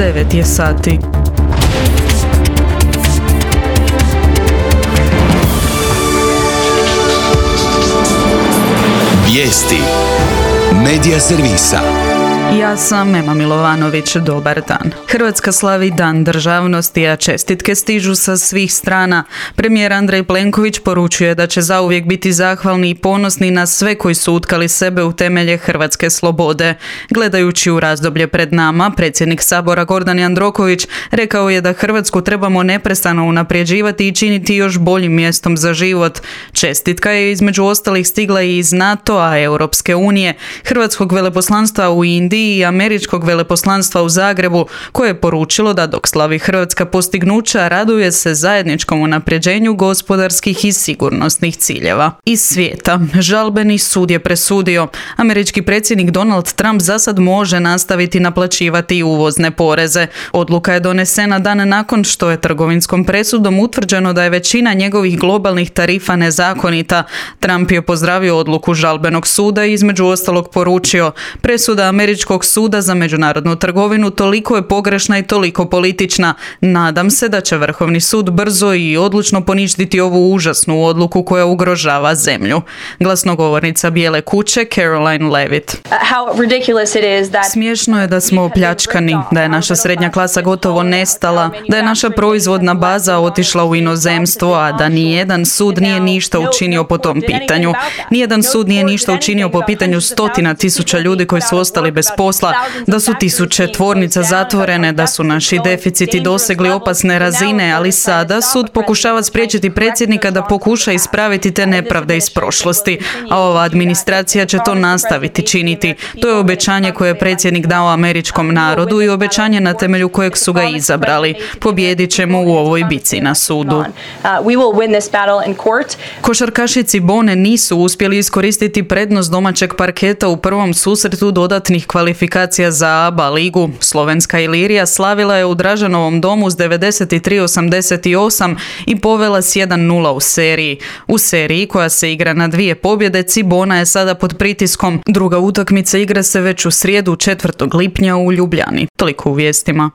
9 je sati. Vijesti Medija servisa. Ja sam Ema Milovanović, dobar dan. Hrvatska slavi Dan državnosti, a čestitke stižu sa svih strana. Premijer Andrej Plenković poručuje da će zauvijek biti zahvalni i ponosni na sve koji su utkali sebe u temelje hrvatske slobode. Gledajući u razdoblje pred nama, predsjednik Sabora Gordan Jandroković rekao je da Hrvatsku trebamo neprestano unapređivati i činiti još boljim mjestom za život. Čestitka je između ostalih stigla i iz NATO-a, Europske unije, Hrvatskog veleposlanstva u Indiji i Američkog veleposlanstva u Zagrebu, koje je poručilo da dok slavi hrvatska postignuća, raduje se zajedničkom unapređenju gospodarskih i sigurnosnih ciljeva. Iz svijeta, žalbeni sud je presudio. Američki predsjednik Donald Trump zasad može nastaviti naplaćivati uvozne poreze. Odluka je donesena dan nakon što je trgovinskom presudom utvrđeno da je većina njegovih globalnih tarifa nezakonita. Trump je pozdravio odluku žalbenog suda i između ostalog poručio: presuda Američkog suda za međunarodnu trgovinu toliko je pogrešna i toliko politična. Nadam se da će Vrhovni sud brzo i odlučno poništiti ovu užasnu odluku koja ugrožava zemlju. Glasnogovornica Bijele kuće Caroline Levitt. Smiješno je da smo opljačkani, da je naša srednja klasa gotovo nestala, da je naša proizvodna baza otišla u inozemstvo, a da nijedan sud nije ništa učinio po tom pitanju. Nijedan sud nije ništa učinio po pitanju stotina tisuća ljudi koji su ostali bez posla, da su tisuće tvornica zatvorene, da su naši deficiti dosegli opasne razine, ali sada sud pokušava spriječiti predsjednika da pokuša ispraviti te nepravde iz prošlosti, a ova administracija će to nastaviti činiti. To je obećanje koje je predsjednik dao američkom narodu i obećanje na temelju kojeg su ga izabrali. Pobijedit ćemo u ovoj bici na sudu. Košarkaši Cibone nisu uspjeli iskoristiti prednost domaćeg parketa u prvom susretu dodatnih kvalifikacija za ABA ligu. Slovenska Ilirija slavila je u Dražanovom domu s 93-88 i povela s 1-0 u seriji. U seriji, koja se igra na 2 pobjede, Cibona je sada pod pritiskom. Druga utakmica igra se već u srijedu 4. lipnja u Ljubljani. Toliko u vijestima.